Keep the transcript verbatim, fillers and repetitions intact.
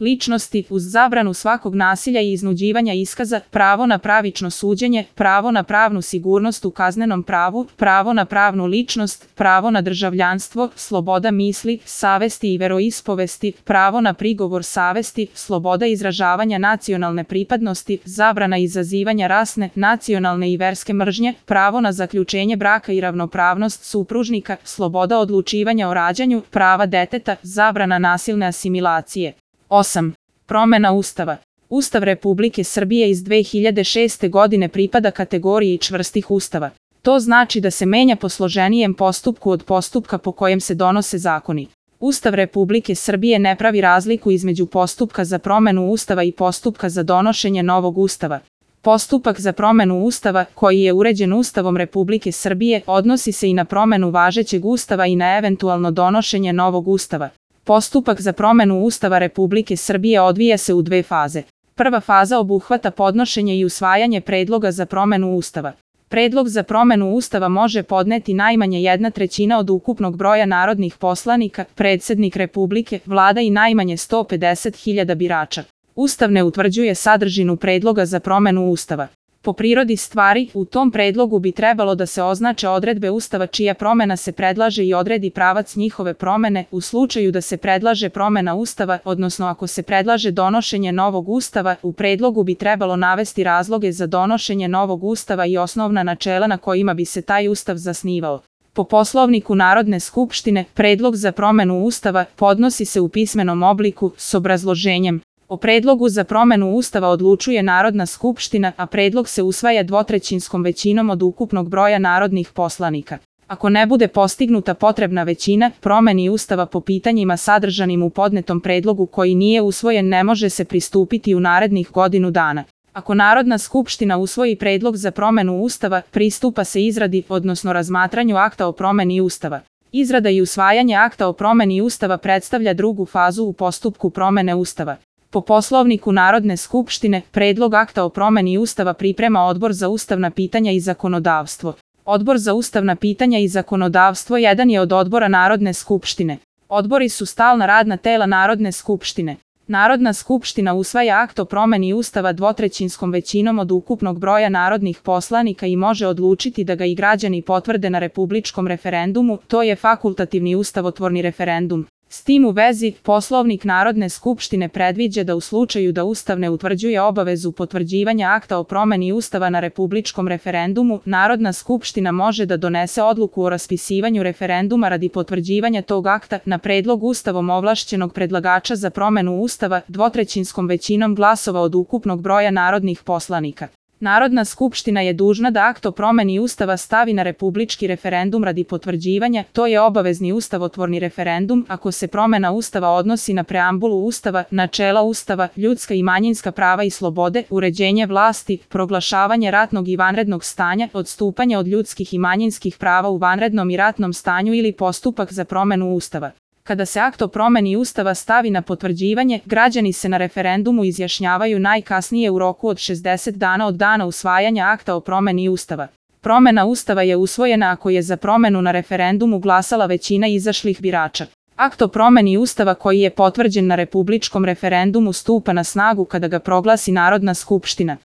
ličnosti uz zabranu svakog nasilja i iznuđivanja iskaza, pravo na pravično suđenje, pravo na pravnu sigurnost u kaznenom pravu, pravo na pravnu ličnost, pravo na državljanstvo, sloboda misli, savesti i veroispovesti, pravo na prigovor savesti, sloboda izražavanja nacionalne pripadnosti, zabrana izazivanja rasne, nacionalne i verske mržnje, pravo na zaključenje braka i ravnopravnost supružnika, sloboda odlučivanja o rađanju, prava deteta, zabrana nasilne asimilacije. osam. Promena Ustava. Ustav Republike Srbije iz dve hiljade šeste. godine pripada kategoriji čvrstih ustava. To znači da se menja po složenijem postupku od postupka po kojem se donose zakoni. Ustav Republike Srbije ne pravi razliku između postupka za promenu Ustava i postupka za donošenje novog Ustava. Postupak za promenu Ustava, koji je uređen Ustavom Republike Srbije, odnosi se i na promenu važećeg Ustava i na eventualno donošenje novog Ustava. Postupak za promenu Ustava Republike Srbije odvija se u dve faze. Prva faza obuhvata podnošenje i usvajanje predloga za promenu Ustava. Predlog za promenu Ustava može podneti najmanje jedna trećina od ukupnog broja narodnih poslanika, predsednik Republike, vlada i najmanje sto pedeset hiljada birača. Ustav ne utvrđuje sadržinu predloga za promenu Ustava. Po prirodi stvari, u tom predlogu bi trebalo da se označe odredbe Ustava čija promena se predlaže i odredi pravac njihove promene u slučaju da se predlaže promena Ustava, odnosno ako se predlaže donošenje novog Ustava, u predlogu bi trebalo navesti razloge za donošenje novog Ustava i osnovna načela na kojima bi se taj Ustav zasnivao. Po Poslovniku Narodne skupštine, predlog za promenu Ustava podnosi se u pismenom obliku s obrazloženjem. O predlogu za promenu Ustava odlučuje Narodna skupština, a predlog se usvaja dvotrećinskom većinom od ukupnog broja narodnih poslanika. Ako ne bude postignuta potrebna većina, promeni Ustava po pitanjima sadržanim u podnetom predlogu koji nije usvojen ne može se pristupiti u narednih godinu dana. Ako Narodna skupština usvoji predlog za promenu Ustava, pristupa se izradi, odnosno razmatranju akta o promeni Ustava. Izrada i usvajanje akta o promeni Ustava predstavlja drugu fazu u postupku promene Ustava. Po Poslovniku Narodne skupštine, predlog akta o promeni Ustava priprema Odbor za ustavna pitanja i zakonodavstvo. Odbor za ustavna pitanja i zakonodavstvo jedan je od odbora Narodne skupštine. Odbori su stalna radna tela Narodne skupštine. Narodna skupština usvaja akt o promeni Ustava dvotrećinskom većinom od ukupnog broja narodnih poslanika i može odlučiti da ga i građani potvrde na republičkom referendumu, to je fakultativni ustavotvorni referendum. S tim u vezi, Poslovnik Narodne skupštine predviđa da u slučaju da Ustav ne utvrđuje obavezu potvrđivanja akta o promeni Ustava na republičkom referendumu, Narodna skupština može da donese odluku o raspisivanju referenduma radi potvrđivanja tog akta na predlog Ustavom ovlašćenog predlagača za promenu Ustava dvotrećinskom većinom glasova od ukupnog broja narodnih poslanika. Narodna skupština je dužna da akt o promeni Ustava stavi na republički referendum radi potvrđivanja, to je obavezni ustavotvorni referendum ako se promena Ustava odnosi na preambulu Ustava, načela Ustava, ljudska i manjinska prava i slobode, uređenje vlasti, proglašavanje ratnog i vanrednog stanja, odstupanje od ljudskih i manjinskih prava u vanrednom i ratnom stanju ili postupak za promenu Ustava. Kada se akt o promeni Ustava stavi na potvrđivanje, građani se na referendumu izjašnjavaju najkasnije u roku od šezdeset dana od dana usvajanja akta o promeni Ustava. Promena Ustava je usvojena ako je za promenu na referendumu glasala većina izašlih birača. Akt o promeni Ustava koji je potvrđen na republičkom referendumu stupa na snagu kada ga proglasi Narodna skupština.